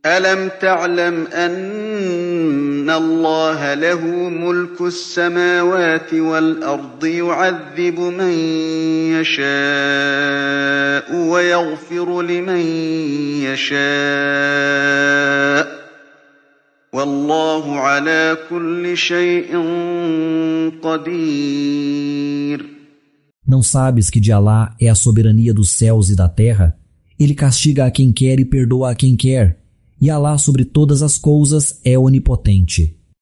ألم تعلم أن الله له ملك السماوات والأرض يعذب من يشاء ويغفر لمن يشاء والله على كل شيء قدير. Não sabes que de Alá é a soberania dos céus e da terra? Ele castiga a quem quer e perdoa a quem quer. E Alá sobre todas as coisas é onipotente.